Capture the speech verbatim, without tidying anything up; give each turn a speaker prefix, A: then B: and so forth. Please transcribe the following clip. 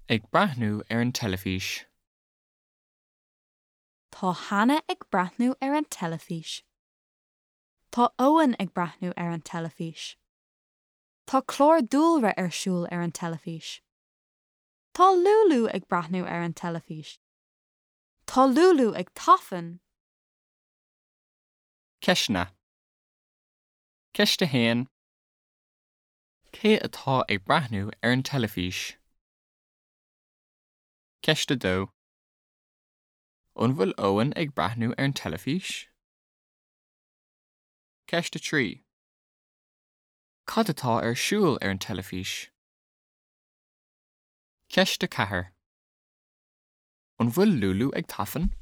A: ag breathnú ar an teilifís?
B: Tá Hannah ag breathnú ar an teilifís. Tá Owen ag breathnú ar an teilifís. Tá clár dúlra ar siúl ar an teilifís. Tá Lulu ag breathnú ar an teilifís. Tá Lulu ag tafann.
A: Ceisteanna. Ceist a haon. Cé atá ag breathnú ar an teilifís? Ceist a dó. An bhfuil Owen ag breathnú ar an teilifís? Ceist a trí. Cad atá ar siúl ar an teilifís? Ceist a ceathair. An bhfuil Lulu ag tafann?